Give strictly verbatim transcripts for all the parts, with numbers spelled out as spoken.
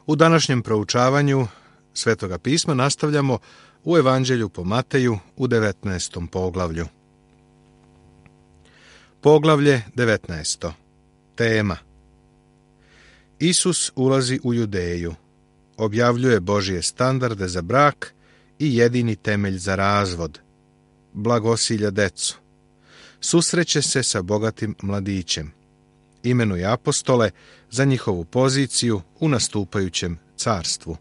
U današnjem proučavanju Svetoga pisma nastavljamo u Evanđelju po Mateju u devetnaestom poglavlju. Poglavlje devetnaesto. Tema: Isus ulazi u Judeju, objavljuje Božje standarde za brak i jedini temelj za razvod, blagosilja decu, susreće se sa bogatim mladićem, imenuje apostole za njihovu poziciju u nastupajućem carstvu.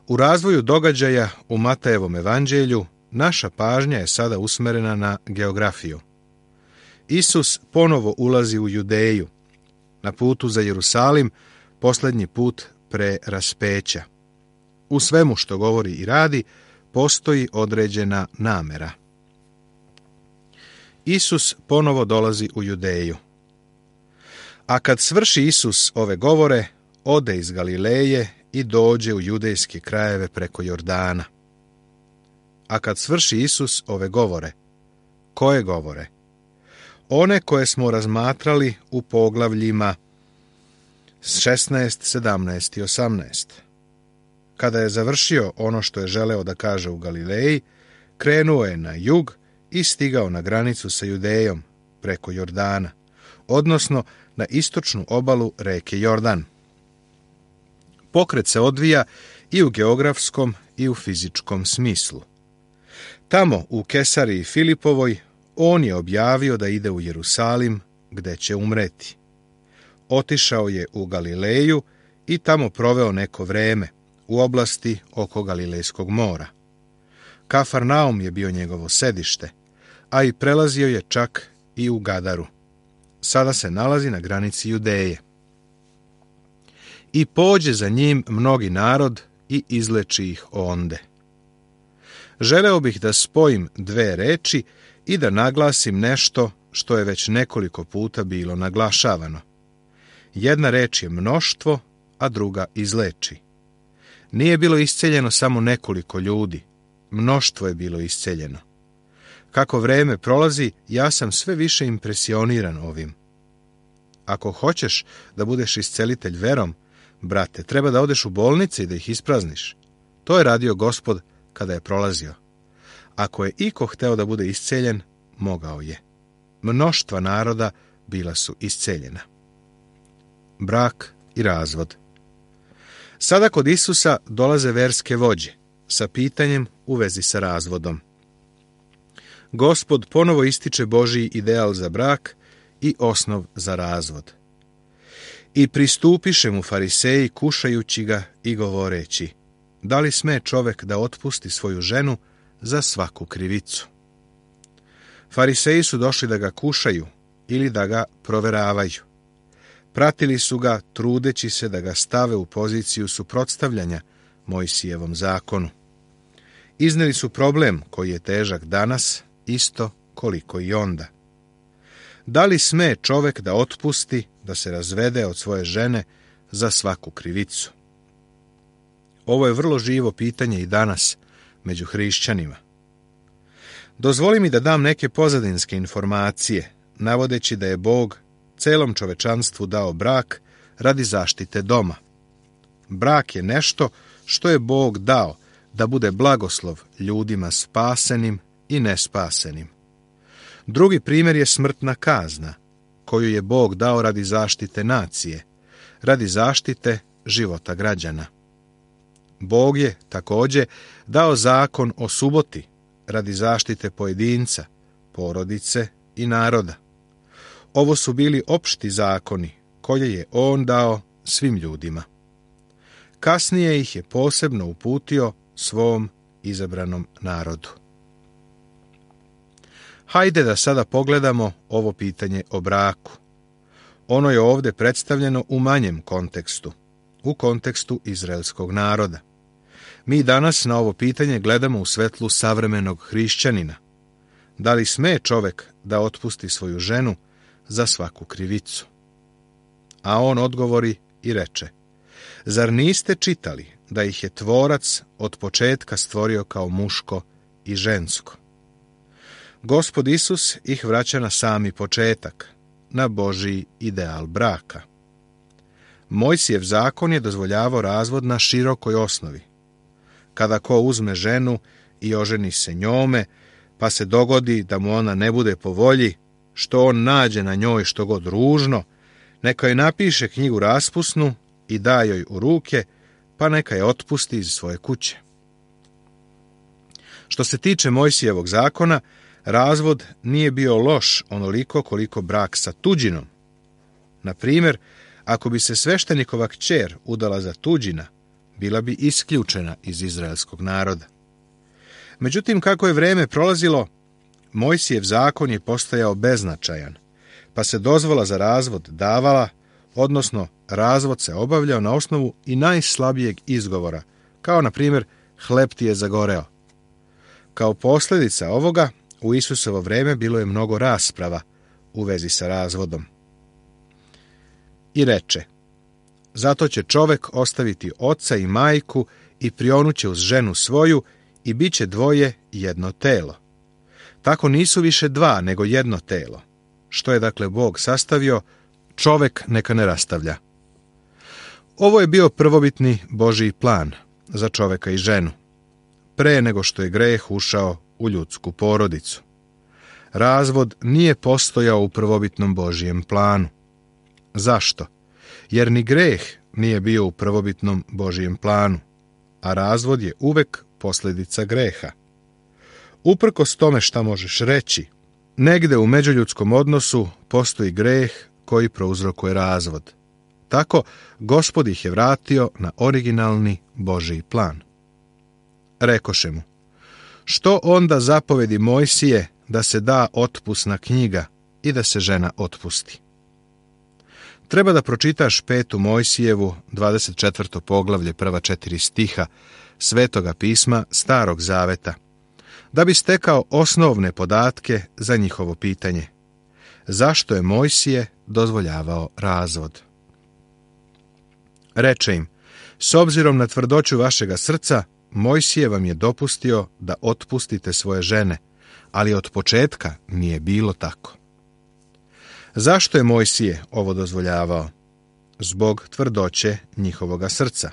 U razvoju događaja u Matejevom evanđelju naša pažnja je sada usmerena na geografiju. Isus ponovo ulazi u Judeju, na putu za Jerusalim, posljednji put pre raspeća. U svemu što govori i radi postoji određena namera. Isus ponovo dolazi u Judeju. A kad svrši Isus ove govore, ode iz Galileje i dođe u judejske krajeve preko Jordana. A kad svrši Isus ove govore, koje govore? One koje smo razmatrali u poglavljima šesnaest, sedamnaest i osamnaest. Kada je završio ono što je želeo da kaže u Galileji, krenuo je na jug i stigao na granicu sa Judejom preko Jordana, odnosno na istočnu obalu reke Jordan. Pokret se odvija i u geografskom i u fizičkom smislu. Tamo, u Kesariji Filipovoj, on je objavio da ide u Jerusalim, gde će umreti. Otišao je u Galileju i tamo proveo neko vreme, u oblasti oko Galilejskog mora. Kafarnaum je bio njegovo sedište, a i prelazio je čak i u Gadaru. Sada se nalazi na granici Judeje. I pođe za njim mnogi narod i izleči ih onde. Želeo bih da spojim dve reči i da naglasim nešto što je već nekoliko puta bilo naglašavano. Jedna reč je mnoštvo, a druga izleči. Nije bilo isceljeno samo nekoliko ljudi, mnoštvo je bilo isceljeno. Kako vreme prolazi, ja sam sve više impresioniran ovim. Ako hoćeš da budeš iscelitelj verom, brate, treba da odeš u bolnice i da ih isprazniš. To je radio Gospod kada je prolazio. Ako je iko hteo da bude isceljen, mogao je. Mnoštva naroda bila su isceljena. Brak i razvod. Sada kod Isusa dolaze verske vođe sa pitanjem u vezi sa razvodom. Gospod ponovo ističe Božji ideal za brak i osnov za razvod. I pristupiše mu fariseji kušajući ga i govoreći: da li sme čovek da otpusti svoju ženu za svaku krivicu? Fariseji su došli da ga kušaju ili da ga proveravaju. Pratili su ga trudeći se da ga stave u poziciju suprotstavljanja Mojsijevom zakonu. Izneli su problem koji je težak danas, isto koliko i onda. Da li sme čovek da otpusti, da se razvede od svoje žene za svaku krivicu? Ovo je vrlo živo pitanje i danas među hrišćanima. Dozvoli mi da dam neke pozadinske informacije, navodeći da je Bog celom čovečanstvu dao brak radi zaštite doma. Brak je nešto što je Bog dao da bude blagoslov ljudima spasenim i nespasenim. Drugi primjer je smrtna kazna, koju je Bog dao radi zaštite nacije, radi zaštite života građana. Bog je također dao zakon o suboti radi zaštite pojedinca, porodice i naroda. Ovo su bili opšti zakoni koje je on dao svim ljudima. Kasnije ih je posebno uputio svom izabranom narodu. Hajde da sada pogledamo ovo pitanje o braku. Ono je ovdje predstavljeno u manjem kontekstu, u kontekstu izraelskog naroda. Mi danas na ovo pitanje gledamo u svetlu savremenog hrišćanina. Da li sme čovek da otpusti svoju ženu za svaku krivicu? A on odgovori i reče: zar niste čitali da ih je tvorac od početka stvorio kao muško i žensko? Gospod Isus ih vraća na sami početak, na Božji ideal braka. Mojsijev zakon je dozvoljavao razvod na širokoj osnovi. Kada ko uzme ženu i oženi se njome, pa se dogodi da mu ona ne bude po volji, što on nađe na njoj što god ružno, neka joj napiše knjigu raspusnu i da joj u ruke, pa neka je otpusti iz svoje kuće. Što se tiče Mojsijevog zakona, razvod nije bio loš onoliko koliko brak sa tuđinom. Na primjer, ako bi se sveštenikova kćer udala za tuđina, bila bi isključena iz izraelskog naroda. Međutim, kako je vrijeme prolazilo, Mojsijev zakon je postajao beznačajan, pa se dozvola za razvod davala, odnosno razvod se obavljao na osnovu i najslabijeg izgovora, kao na primjer hleb ti je zagoreo. Kao posljedica ovoga, u Isusovo vrijeme bilo je mnogo rasprava u vezi sa razvodom. I reče, zato će čovek ostaviti oca i majku i prionuće uz ženu svoju i bit će dvoje jedno telo. Tako nisu više dva, nego jedno telo. Što je dakle Bog sastavio, čovek neka ne rastavlja. Ovo je bio prvobitni Božji plan za čoveka i ženu, pre nego što je greh ušao u ljudsku porodicu. Razvod nije postojao u prvobitnom Božjem planu. Zašto? Jer ni greh nije bio u prvobitnom Božjem planu, a razvod je uvek posljedica greha. Uprkos tome šta možeš reći, negde u međuljudskom odnosu postoji greh koji prouzrokuje razvod. Tako, Gospod ih je vratio na originalni Božji plan. Rekoše mu, što onda zapovedi Mojsije da se da otpusna knjiga i da se žena otpusti? Treba da pročitaš petu Mojsijevu, dvadeset četvrto poglavlje, prva četiri stiha Svetoga pisma Starog zaveta, da bi stekao osnovne podatke za njihovo pitanje. Zašto je Mojsije dozvoljavao razvod? Reče im, s obzirom na tvrdoću vašega srca, Mojsije vam je dopustio da otpustite svoje žene, ali od početka nije bilo tako. Zašto je Mojsije ovo dozvoljavao? Zbog tvrdoće njihovoga srca.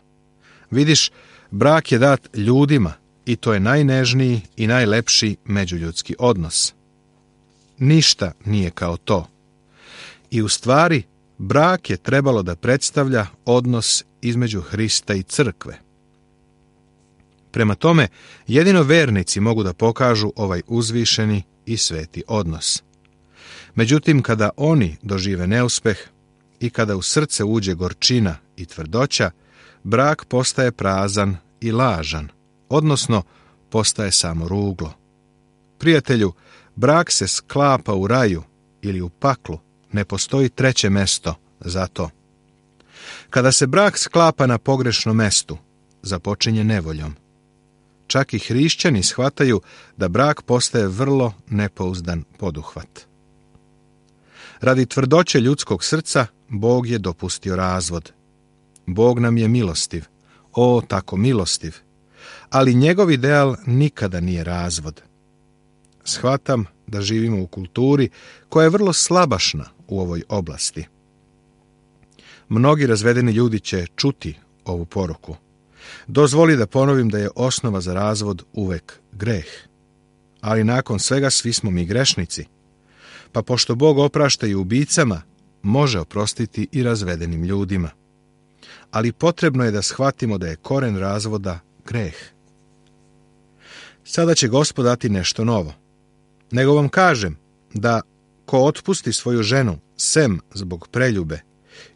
Vidiš, brak je dat ljudima i to je najnežniji i najlepši međuljudski odnos. Ništa nije kao to. I u stvari, brak je trebalo da predstavlja odnos između Hrista i crkve. Prema tome, jedino vernici mogu da pokažu ovaj uzvišeni i sveti odnos. Međutim, kada oni dožive neuspeh i kada u srce uđe gorčina i tvrdoća, brak postaje prazan i lažan, odnosno postaje samo ruglo. Prijatelju, brak se sklapa u raju ili u paklu, ne postoji treće mesto za to. Kada se brak sklapa na pogrešnom mestu, započinje nevoljom. Čak i hrišćani shvataju da brak postaje vrlo nepouzdan poduhvat. Radi tvrdoće ljudskog srca, Bog je dopustio razvod. Bog nam je milostiv, o tako milostiv, ali njegov ideal nikada nije razvod. Shvatam da živimo u kulturi koja je vrlo slabašna u ovoj oblasti. Mnogi razvedeni ljudi će čuti ovu poruku. Dozvoli da ponovim da je osnova za razvod uvek greh. Ali nakon svega svi smo mi grešnici. Pa pošto Bog oprašta i ubicama, može oprostiti i razvedenim ljudima. Ali potrebno je da shvatimo da je koren razvoda greh. Sada će Gospod dati nešto novo. Nego vam kažem da ko otpusti svoju ženu sem zbog preljube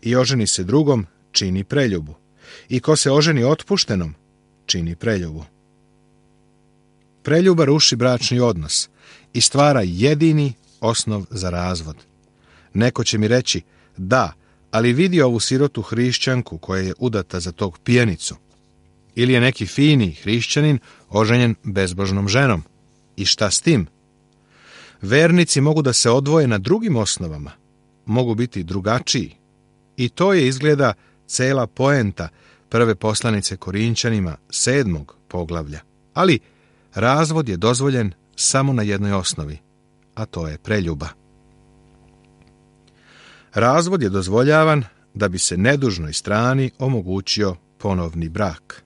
i oženi se drugom, čini preljubu. I ko se oženi otpuštenom, čini preljubu. Preljuba ruši bračni odnos i stvara jedini osnov za razvod. Neko će mi reći, da, ali vidi ovu sirotu hrišćanku koja je udata za tog pijanicu. Ili je neki fini hrišćanin oženjen bezbožnom ženom. I šta s tim? Vernici mogu da se odvoje na drugim osnovama, mogu biti drugačiji. I to je izgleda cela poenta prve poslanice Korinćanima sedmog poglavlja. Ali razvod je dozvoljen samo na jednoj osnovi, a to je preljuba. Razvod je dozvoljavan da bi se nedužnoj strani omogućio ponovni brak.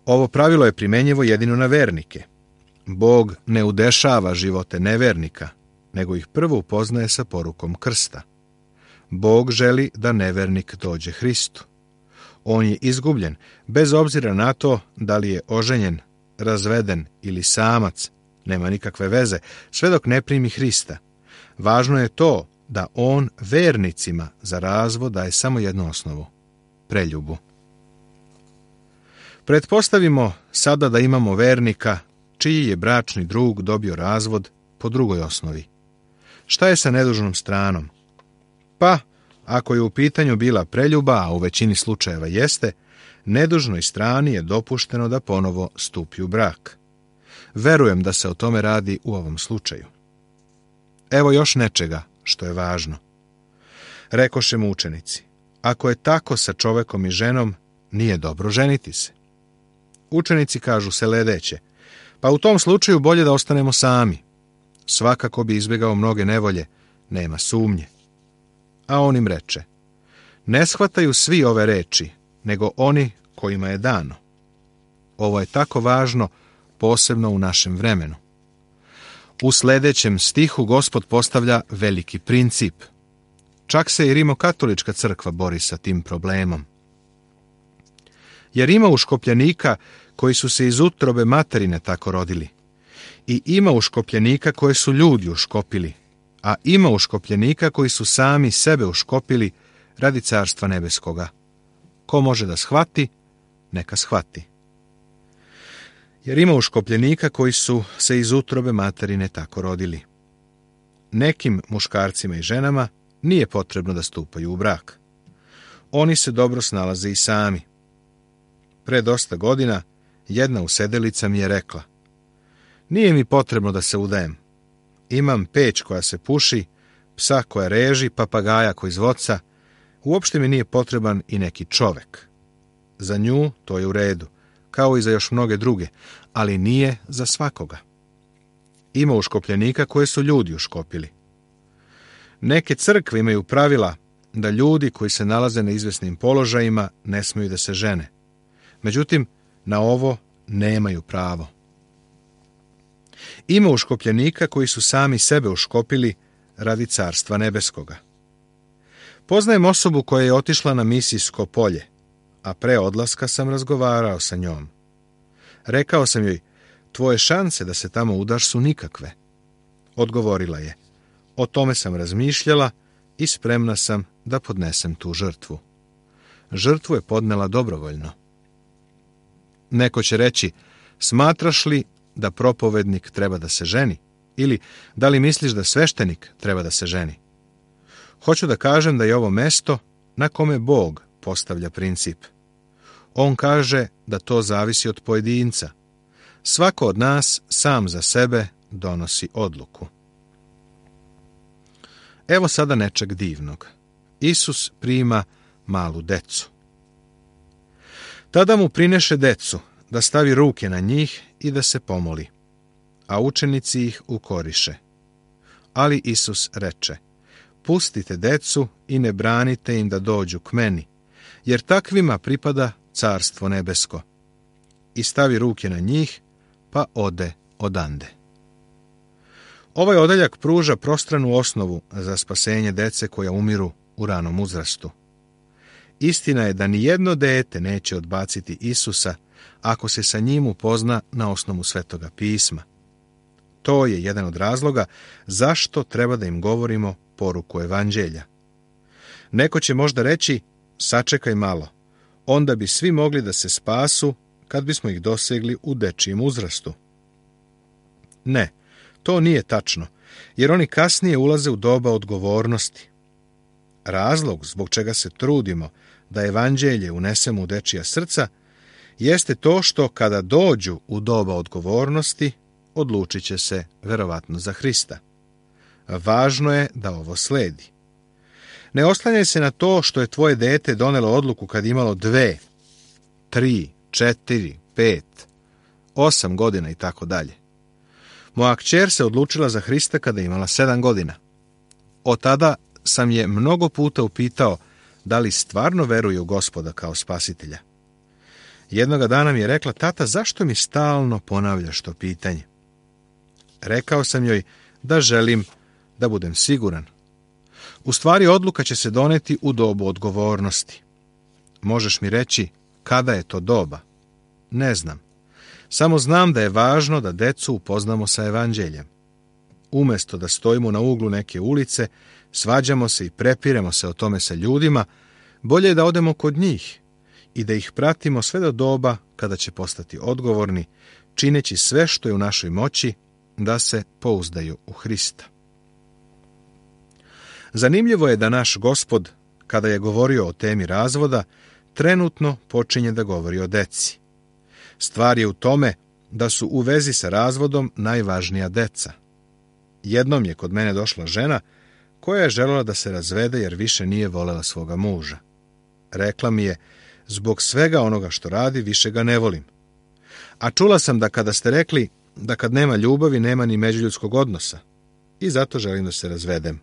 Ovo pravilo je primjenjivo jedino na vernike. Bog ne udešava živote nevernika, nego ih prvo upoznaje sa porukom krsta. Bog želi da nevernik dođe Hristu. On je izgubljen, bez obzira na to da li je oženjen, razveden ili samac, nema nikakve veze, sve dok ne primi Hrista. Važno je to da on vernicima za razvod daje samo jednu osnovu, preljubu. Pretpostavimo sada da imamo vernika čiji je bračni drug dobio razvod po drugoj osnovi. Šta je sa nedužnom stranom? Pa, ako je u pitanju bila preljuba, a u većini slučajeva jeste, nedužnoj strani je dopušteno da ponovo stupi u brak. Verujem da se o tome radi u ovom slučaju. Evo još nečega što je važno. Rekoše mu učenici, ako je tako sa čovekom i ženom, nije dobro ženiti se. Učenici kažu sledeće, pa u tom slučaju bolje da ostanemo sami. Svakako bi izbjegao mnoge nevolje, nema sumnje. A on im reče, ne shvataju svi ove reči, nego oni kojima je dano. Ovo je tako važno, posebno u našem vremenu. U sljedećem stihu Gospod postavlja veliki princip. Čak se i Rimokatolička crkva bori sa tim problemom. Jer ima uškopljenika koji su se iz utrobe materine tako rodili. I ima uškopljenika koje su ljudi uškopili. A ima uškopljenika koji su sami sebe uškopili radi carstva nebeskoga. Ko može da shvati, neka shvati. Jer ima uškopljenika koji su se iz utrobe materine tako rodili. Nekim muškarcima i ženama nije potrebno da stupaju u brak. Oni se dobro snalaze i sami. Pre dosta godina jedna usedelica mi je rekla, nije mi potrebno da se udajem. Imam peć koja se puši, psa koja reži, papagaja koji zvoca, uopšte mi nije potreban i neki čovek. Za nju to je u redu, kao i za još mnoge druge, ali nije za svakoga. Ima uškopljenika koje su ljudi uškopili. Neke crkve imaju pravila da ljudi koji se nalaze na izvesnim položajima ne smiju da se žene. Međutim, na ovo nemaju pravo. Ima uškopljenika koji su sami sebe uškopili radi carstva nebeskoga. Poznajem osobu koja je otišla na misijsko polje, a pre odlaska sam razgovarao sa njom. Rekao sam joj, tvoje šanse da se tamo udaš su nikakve. Odgovorila je, o tome sam razmišljala i spremna sam da podnesem tu žrtvu. Žrtvu je podnela dobrovoljno. Neko će reći, smatraš li da propovednik treba da se ženi? Ili da li misliš da sveštenik treba da se ženi? Hoću da kažem da je ovo mesto na kome Bog postavlja princip. On kaže da to zavisi od pojedinca. Svako od nas sam za sebe donosi odluku. Evo sada nečeg divnog. Isus prima malu decu. Tada mu prineše decu, da stavi ruke na njih i da se pomoli, a učenici ih ukoriše. Ali Isus reče, pustite decu i ne branite im da dođu k meni, jer takvima pripada carstvo nebesko. I stavi ruke na njih, pa ode odande. Ovaj odeljak pruža prostranu osnovu za spasenje dece koja umiru u ranom uzrastu. Istina je da ni jedno dete neće odbaciti Isusa ako se sa njim upozna na osnovu Svetoga pisma. To je jedan od razloga zašto treba da im govorimo poruku evanđelja. Neko će možda reći, sačekaj malo, onda bi svi mogli da se spasu kad bismo ih dosegli u dečijem uzrastu. Ne, to nije tačno, jer oni kasnije ulaze u doba odgovornosti. Razlog zbog čega se trudimo da evanđelje unesemo u dečija srca jeste to što kada dođu u doba odgovornosti, odlučit će se verovatno za Hrista. Važno je da ovo sledi. Ne oslanjaj se na to što je tvoje dete donelo odluku kad imalo dve, tri, četiri, pet, osam godina i tako dalje. Moja kćer se odlučila za Hrista kada imala sedam godina. Od tada sam je mnogo puta upitao da li stvarno veruje u Gospoda kao spasitelja. Jednoga dana mi je rekla: tata, zašto mi stalno ponavljaš to pitanje? Rekao sam joj da želim da budem siguran. U stvari, odluka će se doneti u dobu odgovornosti. Možeš mi reći kada je to doba? Ne znam. Samo znam da je važno da decu upoznamo sa evanđeljem. Umjesto da stojimo na uglu neke ulice, svađamo se i prepiremo se o tome sa ljudima, bolje je da odemo kod njih i da ih pratimo sve do doba kada će postati odgovorni, čineći sve što je u našoj moći da se pouzdaju u Hrista. Zanimljivo je da naš Gospod, kada je govorio o temi razvoda, trenutno počinje da govori o deci. Stvar je u tome da su u vezi sa razvodom najvažnija deca. Jednom je kod mene došla žena koja je željela da se razvede jer više nije volela svoga muža. Rekla mi je: zbog svega onoga što radi, više ga ne volim. A čula sam da kada ste rekli da kad nema ljubavi, nema ni međuljudskog odnosa, i zato želim da se razvedem.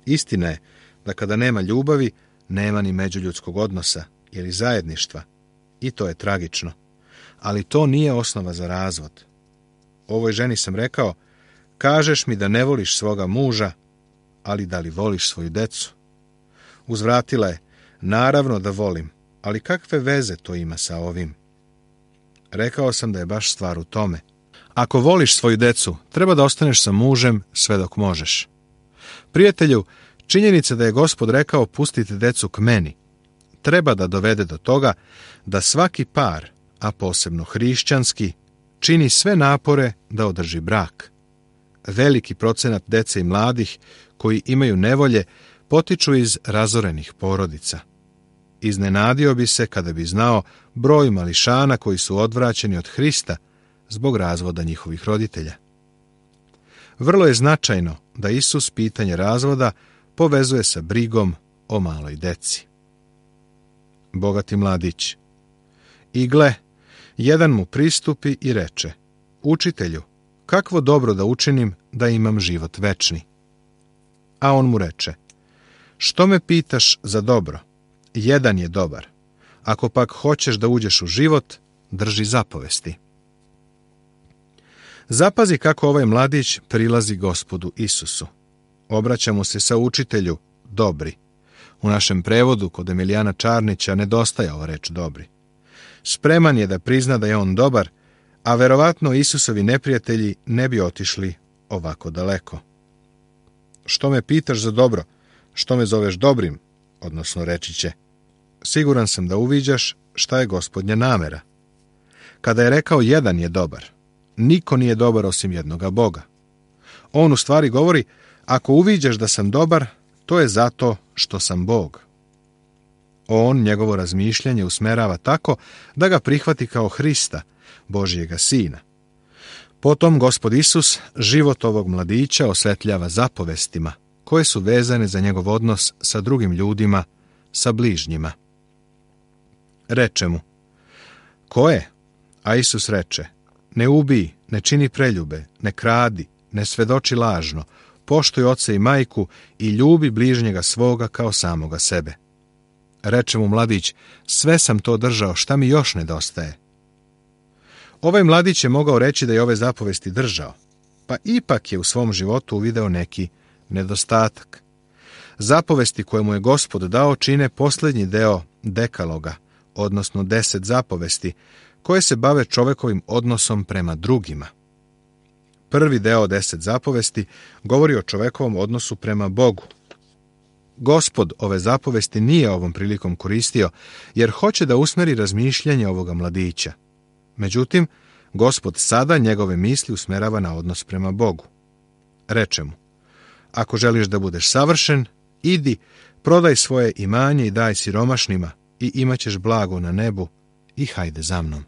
Istina je da kada nema ljubavi, nema ni međuljudskog odnosa ili zajedništva, i to je tragično. Ali to nije osnova za razvod. Ovoj ženi sam rekao: kažeš mi da ne voliš svoga muža, ali da li voliš svoju decu? Uzvratila je: naravno da volim, ali kakve veze to ima sa ovim? Rekao sam da je baš stvar u tome. Ako voliš svoju decu, treba da ostaneš sa mužem sve dok možeš. Prijatelju, činjenica da je Gospod rekao: pustite decu k meni, treba da dovede do toga da svaki par, a posebno hrišćanski, čini sve napore da održi brak. Veliki procenat dece i mladih koji imaju nevolje potiču iz razorenih porodica. Iznenadio bi se kada bi znao broj mališana koji su odvraćeni od Hrista zbog razvoda njihovih roditelja. Vrlo je značajno da Isus pitanje razvoda povezuje sa brigom o maloj deci. Bogati mladić. I gle, jedan mu pristupi i reče: učitelju, kakvo dobro da učinim da imam život večni? A on mu reče: što me pitaš za dobro? Jedan je dobar. Ako pak hoćeš da uđeš u život, drži zapovesti. Zapazi kako ovaj mladić prilazi Gospodu Isusu. Obraća mu se sa: učitelju, dobri. U našem prevodu kod Emilijana Čarnića nedostaje ova reč dobri. Spreman je da prizna da je on dobar, a verovatno Isusovi neprijatelji ne bi otišli ovako daleko. Što me pitaš za dobro? Što me zoveš dobrim? Odnosno reći će: siguran sam da uviđaš šta je Gospodnja namera. Kada je rekao jedan je dobar, niko nije dobar osim jednoga Boga. On u stvari govori: ako uviđaš da sam dobar, to je zato što sam Bog. On njegovo razmišljanje usmerava tako da ga prihvati kao Hrista, Božjega Sina. Potom Gospod Isus život ovog mladića osvetljava zapovestima koje su vezane za njegov odnos sa drugim ljudima, sa bližnjima. Reče mu: koje? A Isus reče: ne ubij, ne čini preljube, ne kradi, ne svedoči lažno, poštuj oca i majku i ljubi bližnjega svoga kao samoga sebe. Reče mu mladić: sve sam to držao, šta mi još nedostaje? Ovaj mladić je mogao reći da je ove zapovesti držao, pa ipak je u svom životu uvideo neki nedostatak. Zapovesti koje mu je Gospod dao čine posljednji deo dekaloga, odnosno deset zapovesti, koje se bave čovekovim odnosom prema drugima. Prvi deo deset zapovesti govori o čovekovom odnosu prema Bogu. Gospod ove zapovesti nije ovom prilikom koristio, jer hoće da usmeri razmišljanje ovoga mladića. Međutim, Gospod sada njegove misli usmerava na odnos prema Bogu. Reče mu: ako želiš da budeš savršen, idi, prodaj svoje imanje i daj siromašnima i imat ćeš blago na nebu i hajde za mnom.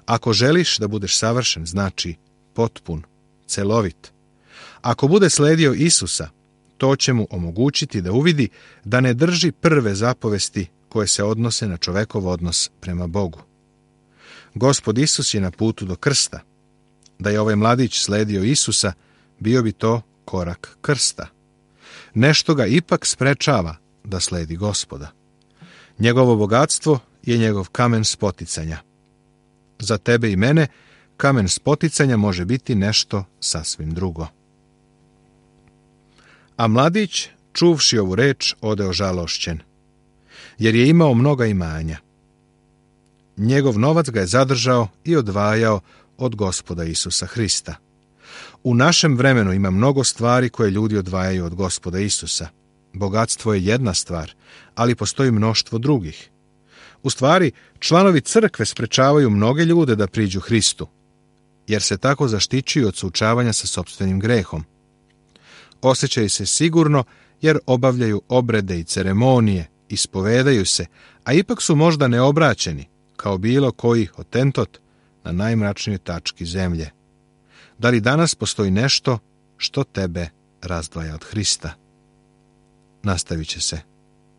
Ako želiš da budeš savršen, znači potpun, celovit. Ako bude sledio Isusa, to će mu omogućiti da uvidi da ne drži prve zapovesti koje se odnose na čovekov odnos prema Bogu. Gospod Isus je na putu do krsta. Da je ovaj mladić sledio Isusa, bio bi to korak krsta. Nešto ga ipak sprečava da sledi Gospoda. Njegovo bogatstvo je njegov kamen spoticanja. Za tebe i mene kamen spoticanja može biti nešto sasvim drugo. A mladić, čuvši ovu reč, odeo žalošćen, jer je imao mnoga imanja. Njegov novac ga je zadržao i odvajao od Gospoda Isusa Hrista. U našem vremenu ima mnogo stvari koje ljudi odvajaju od Gospoda Isusa. Bogatstvo je jedna stvar, ali postoji mnoštvo drugih. U stvari, članovi crkve sprečavaju mnoge ljude da priđu Hristu, jer se tako zaštićuju od suočavanja sa sopstvenim grehom. Osjećaju se sigurno jer obavljaju obrede i ceremonije, ispovedaju se, a ipak su možda neobraćeni, kao bilo koji hotentot na najmračnijoj tački zemlje. Da li danas postoji nešto što tebe razdvaja od Hrista? Nastavit će se